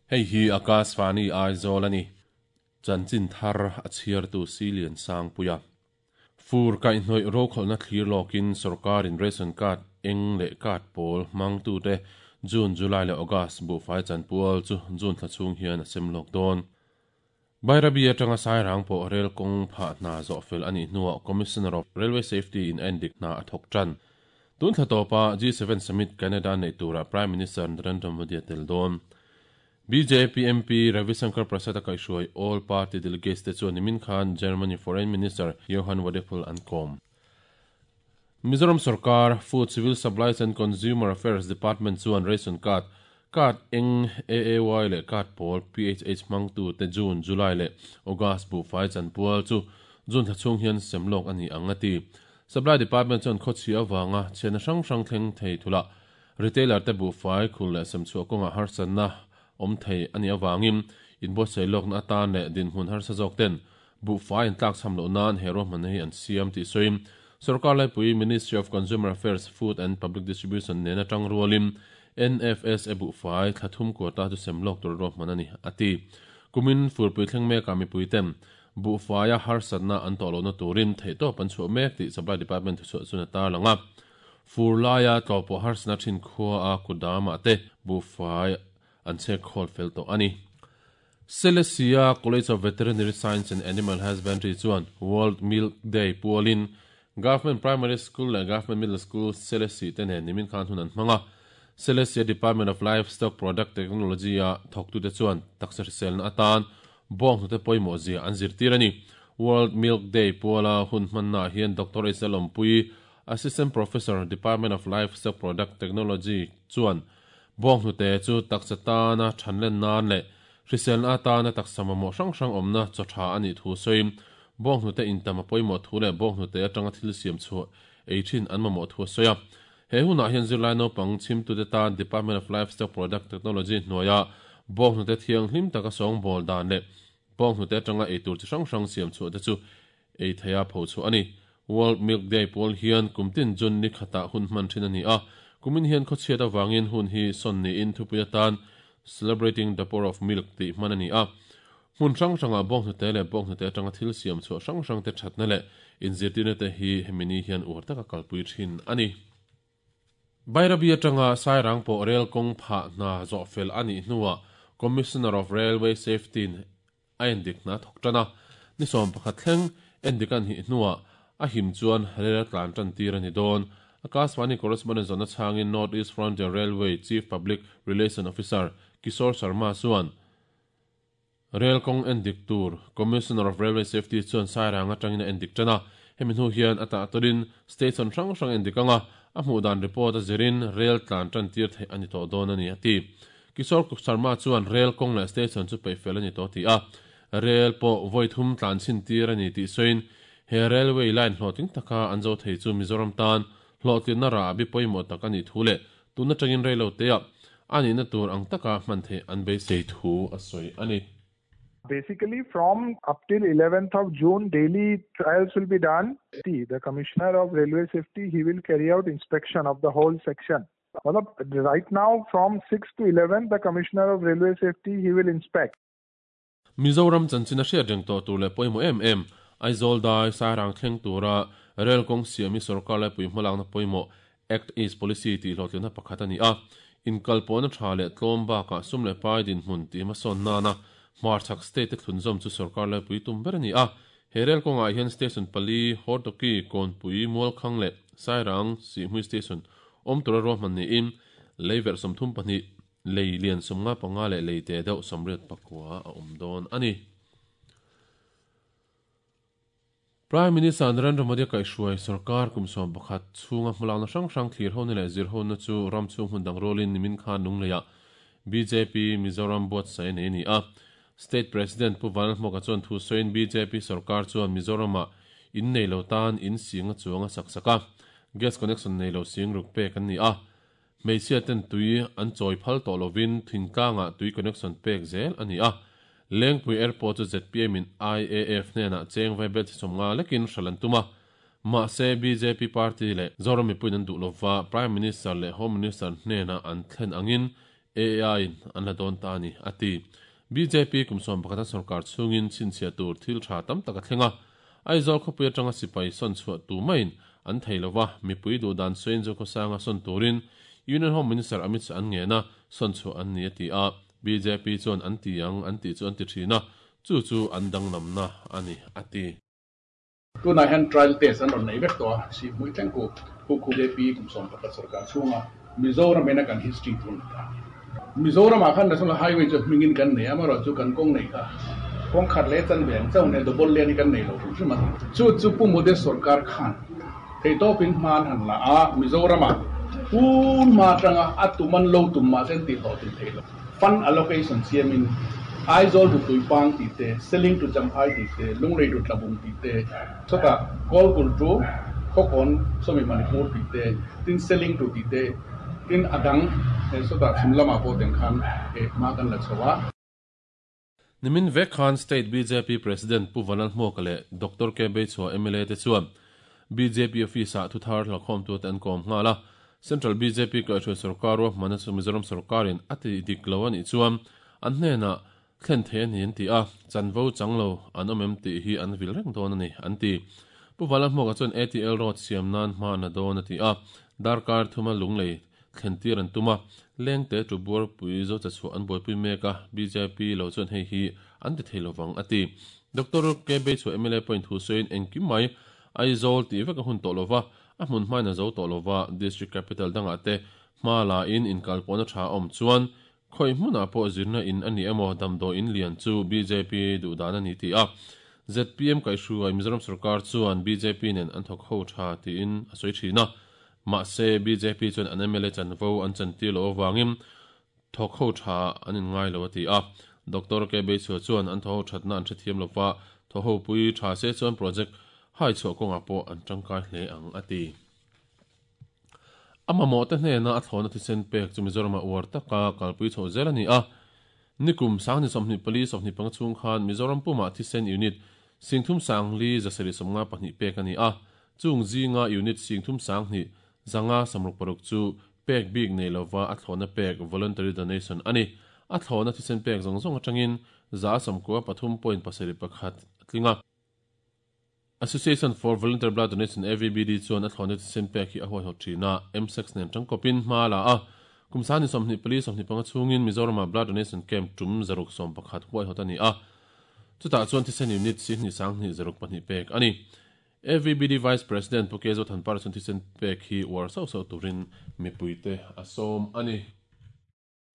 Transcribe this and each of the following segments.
Hei hi Akashvani Aizawl a ni. Chanchin thar a chhiartu Silian Sangpuia. Fur kaihhnawih rokhawlhna thlir lawkin sorkarin ration card eng leh card pawl hmangtute June, July leh August buhfai chanpual chu June thla chhung hian a sem lawk dawn. Bairabi atanga Sairang pawh rel kawng phah hna zawh fel a nih hnuah Commissioner of Railway Safety in a endik hna a thawk tan. Tun thla tawpa G7 Summit Canada neih turah Prime Minister Narendra Modi a tel dawn. Bjp MP Ravi Shankar Prasad a kaihhruai All Party Delegates te chuan nimin khan Germany Foreign Minister Johann Wadephul an kawm. Mizoram sorkar Food, Civil Supplies and Consumer Affairs Department chuan ration card, card eng, AAY leh card pawl, PHH hmangtute June, July leh August buhfai chanpual chu June thla chhung hian sem lawk a ni ang a ti. Supply Department chuan khawchhia avanga chhiatna hrang hrang thleng thei thulah retailer te buhfai khul leh semchhuah kawngah harsatna awm thei a nih avangin inbuatsaih lawkna atan leh dinhmun harsa zawk ten Buhfai an tlakchham loh nan he ruahmanna hi an siam tih sawiin sorkar laipui Ministry of Consumer Affairs, Food and Public Distribution nena tang rualin NFSA buhfai thla thum quota chu sem lawk tur ruahman a ni, a ti. Kumin furpui thleng mekah mipui ten buhfaia harsatna an tawh lohna turin theihtawp an chhuah mek tih Supply Department thuchhuah chuan a tarlang a. Fur laia tlawhpawh harsatna thin khua a kutdamah te buhfai an chhek khawl fel tawh a ni. Selesia College of Veterinary Science and Animal Husbandry chuan World Milk Day pualin Government Primary School leh Government Middle School Selesih te nen nimin khan hun an hmang a. Selesia Department of Livestock Product Technology-a thawktute chuan taksa hriselna atan bawnghnute pawimawh zia an zirtir a ni. World Milk Day puala hun hmannaah hian Doctor H Lalawmpui, Assistant Professor, Department of Livestock Product Technology chuan Bawnghnute chu taksa tana thanlen nan leh hriselna atana taksa mamawh hrang hrang awmna chaw tha a nih thu sawiin, bawnghnute intam a pawimawh thu leh bawnghnute atanga thil siam chhuah ei thin an mamawh thu a sawi a. He hunah hian zirlai naupang chhimtute tan Department of Livestock Product Technology hnuaia bawnghnute thianghlim taka sawngbawl dan leh bawnghnute atanga eitur chi hrang hrang siam chhuah te chu ei theia pho chhuah a ni. World Milk Day pawl hian kum tin June ni khatah hun hman thin a ni a, kumin hian khawchhiat avangin hun hi sawn niin thupui atan Celebrating the Power of Milk tih hman a ni a. Hmun hrang hrangah bawnghnute leh bawnghnute atanga thil siam chhuah hrang hrangte thatna leh inzirtirna te hi hemi ni hian uar taka kalpui thin a ni. Bairabi atanga Sairang pawh rel kawng phah hna zawh fel a nih hnuah Commissioner of Railway Safety-in a endik hna thawk tan a, ni 11 thleng endik a nih hnuah a him chuan rel a tlan tan tir a ni dawn. Akashvani correspondent zawhna chhangin North East Frontier Railway Chief Public Relation Officer Kishore Sharma chuan rel kawng endik tur Commissioner of Railway Safety chuan Sairang atangin a endik tan a, hemi hnu hian a tah tawrin station hrang hrang endik anga a hmuh dan report a zirin rel tlan tan tir theih a ni tawh dawn a ni a ti. Kishore Sharma chuan rel kawng leh station chu peih fel a ni tawh tih a, rel pawh vawi thum tlan chhin tir a ni tih sawiin he railway line hlawhtling taka an zo thei chu Mizoram tan hlawhtlinna rah bi pawimawh tak a nih thu leh tun atangin reilo teah a nihna tur ang taka hman theih an beisei thu a sawi a ni. Basically from up till 11th of June daily trials will be done. The Commissioner of Railway Safety he will carry out inspection of the whole section. Right now from 6 to 11 the Commissioner of Railway Safety he will inspect. Mizoram chanchin a hriat reng tawh tur leh pawimawh em em, Aizawl dai Sairang thleng tura rel kawng siam hi sorkar laipui hmalakna pawimawh Act East Policy tih hlawhtlinna pakhat a ni a. Inkalpawhna tha leh tlawm bakah sum leh pai dinhmun tih hmasawn nana hmarchhak state te thlunzawm chu sorkar laipui tum ber a ni a. He rel kawngah hian station pali, Hortoki, Kawnpui, Mualkhang leh Sairang, Sihhmui station awm tura ruahman niin lei verh 32, lei lian 55 leh lei te deuh 84 a awm dawn a ni. Prime Minister Narendra Modi a kaihhruai sorkar kum 11 chhunga hmalakna hrang hrang thlir hona leh zir hona chu ram chhung hmun dang rualin nimin khan Lungleiah bjp Mizoram buatsaih a nei a ni a. State President Pu Vanlalhmawka chuan thu sawiin bjp sorkar chuan Mizoramah in nei lo tan in sing a chuang a sak sak a, gas connection nei lo sing ruk pek an ni a. Hmeichhia ten tui an chawi phal tawh lovin thingtlangah tui connection pek zel a ni a. Lengpui Airport chu zpm in IAF hnenah cheng vai bel chi 50 lekin hralh an tum a. Mahse bjp party leh Zoram mipuiin an duh lova Prime Minister leh Home Minister hnenah an thlen angin. AAI in an la dawn ta a ni, a ti. Bjp kum 11 a sorkar chhungin chhinchhiah tur thil tha tam tak a thleng a. Aizawl khawpui atanga sipai sawn chhuah tu maiin an thei lo va, mipui duh dan sawiin Zokhawsanga sawn turin Union Home Minister Amit Shah an ngen a, sawn chhuah an ni a ti a. Bjp chuan an ti ang an tih chu an ti thin a, chu chu an danglamna a ni, a ti. Tunah hian trial test an rawn nei vek tawh a, Sihhmui thleng ku khu khu JP kum 11 sorkar chhunga Mizoram ina kan history tun a ta. Mizoramah khan National Highway chu hmingin kan nei a, amaherawhchu kan kawng neih kha kawng khat leh chanve ang chauh nia double lane hi kan nei lo hrim hrim a. Chu chu Pu Modi sorkar khan theihtawpin hma an han la a, Mizoramah tun hma atanga a tum an lo tum mahse an tihhlawhtlin theih lo. Fund allocation siamin Aizawl to Tuipang tih te, Seling to Champhai tih te, Lunglei to Tlabung tih te, chutah Kawlkulh to Khawkawn sawmi Manipur tih te, tin Seling to tih te, tin a dang sawtah chhim lamah pawh teng khan hma kan la chho a. Nimin vek khan State bjp President Pu Vanlalhmuaka leh Doctor K Beichhua mla te chuan bjp Office-ah thuthar hlauhkhawmtute an kawm nghal a. Central bjp kaihhruai sorkar ruahmanna chu Mizoram sorkarin a ti dik lo a nih chuan an hnenah thlen thei a ni an ti a, chanvo chang lo an awm em tih hi an vil reng dawn a ni an ti. Pu Vanlalhmuaka chuan ATL Road siam nan hma na dawn a ti a, darkar thuma lunglei thlen tir an tum a, lengte tu buarpui zo che chhuah an buaipui mek a, bjp lo chuan hei hi an ti thei lovang a ti. Doctor K Beichhuah mla pawhin thu sawiin engkim mai Aizawl tih vek a hun tawh lova, a hmun hmain a zo tawh lova, District Capital dangah te hma la in inkalpawhna tha a awm chuan khawi hmunah pawh zirna in a ni emaw damdawi in lian chu bjp duh dan a ni ti a, zpm kaihhruai Mizoram sorkar chuan bjp nen an thawk ho tha tiin a sawi thin a, Mahse, bjp chuan an mla chanvo an chantir loh avangin thawk ho tha an inngai lo a ti a. Doctor K Beichhua chuan an thawho thatna an hrethiam lo va, thawho pui tha se chuan project hai chhuah kawngah pawh an tangkai hle ang a ti. A mamawhte hnena a thlawhna thisen pek chu Mizoramah uar taka kalpui chhoh zel a ni a. Nikum sangni 24 25 chhung khan Mizoram pumah thisen unit singthum sangli zasarih 52 pek a ni a. Chung zinga unit singthum 2000 566 chu pek bik nei lova a thlawhna pek, voluntary donation, a ni. A thlawhna thisen pek zawng zawng atangin 93.71 a tling a. Association for Voluntary Blood Donation, AVBD, chuan a thlawhna thisen pek hi a huaihawt thin a, MSEX nen tangkawpin hma a la a. Kum sangni 24 25 chhungin Mizoramah Blood Donation Camp tum 611 huaihawt a ni a. Chutah chuan thisen unit sihnih 20 602 pek a ni. AVBD Vice President Pu Kezo Thanpara chuan thisen pek hi uar sauh sauh turin mipuite a sawm a ni.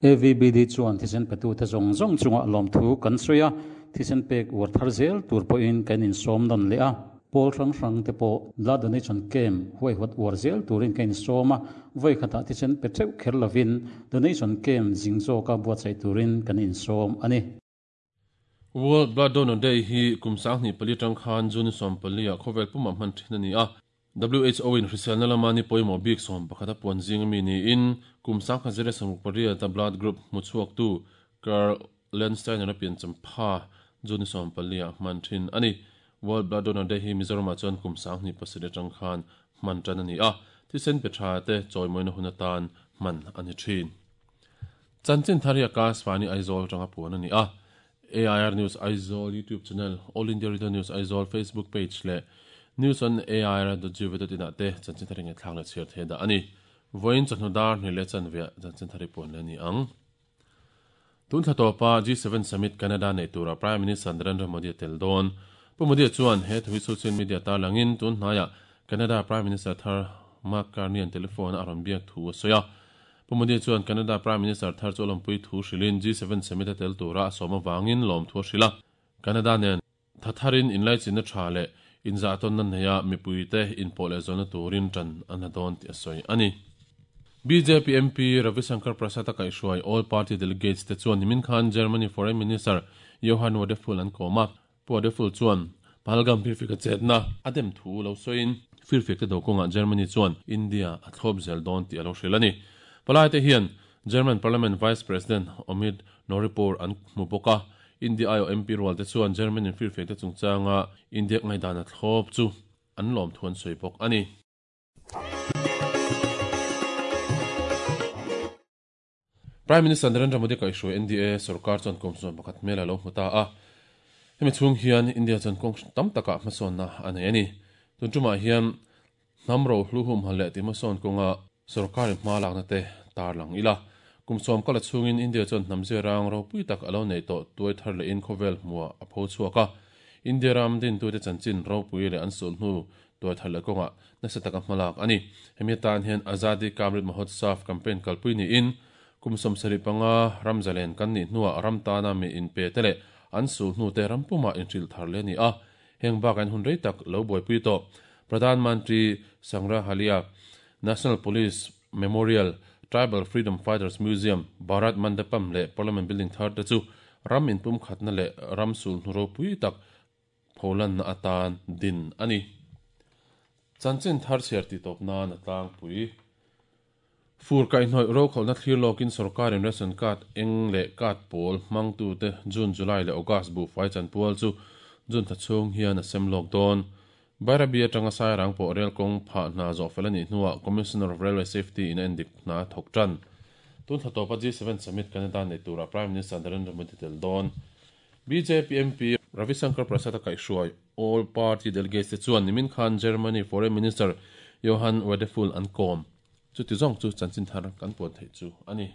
AVBD chuan thisen petute zawng zawng chungah lawmthu kan sawi a, thisen pek uar thar zel tur pawhin kan insawm nawn leh a. Pawl hrang hrang te pawh Blood Donation Camp huaihawt uar zel turin kan insawm a, vawi khatah thisen pe theuh kher lovin Donation Camp zing zawka buatsaih turin kan insawm a ni. World Blood Donor Day hi kum 2004 atang khan June 14 ah khawvel pumah hman thin a ni a. WHO in hriselna lama ni pawimawh bik 11 a puan zing ami niin kum 1968 a blood group hmu chhuaktu Karl Landsteiner a piancham pha June 14 ah hman thin a ni. World Blood Donor Day hi Mizoramah chuan kum 2007 atang khan hman tan a ni a, thisen pe tha te chawimawina hun atan hman a ni thin. Chanchin thar hi Akashvani Aizawl atanga puan a ni a. AIR News Aizawl YouTube channel, All India Radio News Aizawl Facebook page leh News on AIR dot gov dot in ah te chanchin thar hi ngaihthlak leh chhiar thei dah a ni. Vawiin chawhnu dar hnih leh chanveah chanchin thar hi puan leh a ni ang. Tun thla tawpa G7 Summit Canada neih turah Prime Minister Narendra Modi a tel dawn. Pu Modi chuan he thu hi social media tarlangin tun hnaiah Canada Prime Minister thar Mark Carney an telephone a rawn biak thu a sawi a. Pu Modi chuan Canada Prime Minister thar chu a lawmpui thu hrilhin G7 Summit a tel tura a sawm avangin lawmthu a hrilh a. Canada nen tha tharin inlaichinna tha leh inzahtawnna neia mipuite inpawh leh zawhna turin tan an la dawn tih a sawi a ni. Bjp MP Ravi Shankar Prasad a kaihhruai All Party Delegates te chuan nimin khan Germany Foreign Minister Johann Wadephul an kawm a. Pu Wadephul chuan Pahalgam firfik a chetna a dem thu lo sawiin firfik te do kawngah Germany chuan India a thlawp zel dawn tih a lo hrilh a ni. Palai te hian German Parliament Vice President Omid Nouripour an hmu bawk a, India aiawh MP rual te chuan German in firfik te chungchanga India ngaihdan a thlawp chu an lawmthu an sawi bawk a ni. Prime Minister Narendra Modi kaihhruai NDA sorkar chuan kum 11 hmel a lo hmu ta a. Hemi chhung hian India chuan kawng tam takah hmasawnna a nei a ni. Tun tumah hian hnam rohlu humhal leh tihhmasawn kawnga sorkarin hma lakna te tarlang ila. Kum sawm kala chhungin India chuan hnam zirang ropui tak a lo nei tawh tuai thar lehin khawvel hmuah a pho chhuak a. India ram dintute chanchin ropui leh an sulhnu tuai thar leh kawngah nasa taka hmalak a ni. Hemi atan hian Azadi Ka Amrit Mahotsav campaign kalpui niin kum 75 ram zalen kan nih hnuah ram tana mi inpe te leh an sulhnu te ram pumah inhrilh thar leh a ni a. Heng bakah hian hun rei tak lo buaipui tawh Pradhan Mantri Sangrahalaya, National Police Memorial, Tribal Freedom Fighters Museum, Bharat Mandapam leh Parliament Building thar te chu ram inpumkhatna leh ram sulhnu ropui tak pholanna atan din a ni. Chanchin thar chhiar tih tawp nan a tlangpui. Fur kaihhnawih rokhawlhna thlir lawkin sorkarin ration card eng leh card pawl hmangtute June, July leh August buhfai chanpual chu June thla chhung hian a sem lawk dawn. Bairabi atanga Sairang pawh rel kawng phah hna zawh fel a nih hnuah Commissioner of Railway Safety in a endik hna a thawk tan. Tun thla tawpa G7 Summit Canada nei turah Prime Minister Narendra Modi tel dawn. Bjp MP Ravi Shankar Prasad a kaihhruai All Party Delegates te chuan nimin khan Germany Foreign Minister Johann Wadephul an kawm. Chuti zawng chu chanchin thar kan puan theih chu a ni.